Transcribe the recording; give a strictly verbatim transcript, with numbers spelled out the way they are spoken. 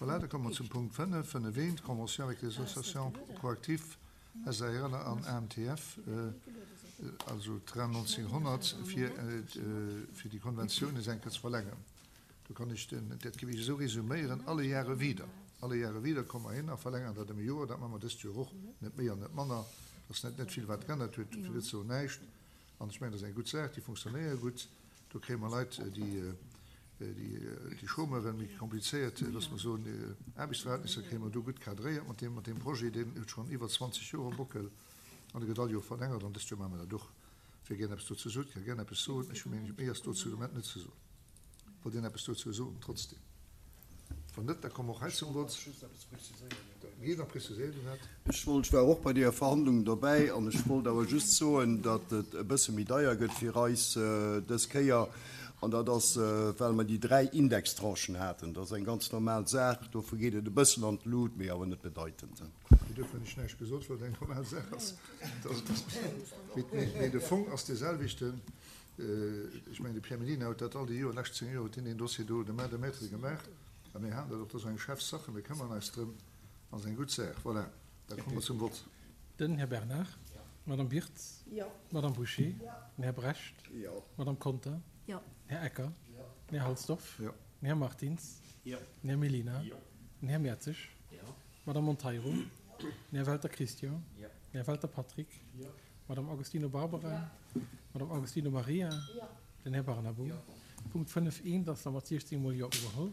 Voilà, da komme mer zum Punkt fënnef, fënnef eent, Convention avec les associations ProActif S A R L an A M T F, also Train nonzénghonnert, fir, fir déi Konventioun nees eng Kéier ze verlängeren. Do kann ech den, dat géif ech esou resuméieren: Alle Jahre wieder. Alle Jahre wieder komme mer hin a verlängeren dat ëm e Joer. Dat maache mer dëst Joer och, net méi an net manner. Dat ass net, net vill, wat geännert huet, fir net ze soen näischt. An ech mengen, dat ass eng gutt Saach, déi funktionéiert gutt. Do kréie mer Leit, déi, déi, déi Chômeuren, méi komplizéiert, loosse mer soen, Aarbechtsverhältnisser kréie mer do gutt cadréiert mat deem, mat deem Projet. Deen huet schonn iwwer zwanzeg Joer am Bockel an e gëtt all Joer verlängert an dëst Joer maache mer dat och. Wie gär eppes dozou sot, ka gär eppes soen. Ech hu mengen, méi ass dozou de Moment net ze soen. Wollt Dir eppes dozou soen trotzdem? Wann net, da komme mer och hei zum Vott. Jee, da preziséiert Dir dat. Ech wollt, ech war och bei deeër Verhandlung dobäi an ech wollt awer just soen, datt et e bësse méi deier gëtt fir eis dës Kéier an dat ass, well mer déi dräi Indextranchen haten. Dat ass eng ganz normal Saach, dofir geet et e bëssen an d'Lut, mee awer net bedeitend. Mee dofir hunn ech näischt gesot, well et eng normal Saach ass. Mee de Fong ass dee selwechten. Ech mengen, de Pierre Mellina huet dat all déi Joer, lescht zéng Joer huet hien deen Dossier do de main de maître gemaach. A mir haten dat och, dat ass eng Chefsache, mir këmmern eis drëm, ass eng gutt Saach. Voilà, da komme mer zum Vott. Den Här Bernard. D'Madame Wirtz. D'Madame Bouché. Den Här Brecht. D'Madame Conter. Den Här Ecker. Den Här Halsdorf. Den Här Martins. Den Här Mellina. Den Här Mertzig. D'Madame Monteiro. Den Här Welter Christian. Den Här Welter Patrick. D'Madame Agostino Barbara. D'Madame Agostino Maria. Den Här Barnabo. Punkt fënnef eent ass da mat siechzéng mol Jo ugeholl.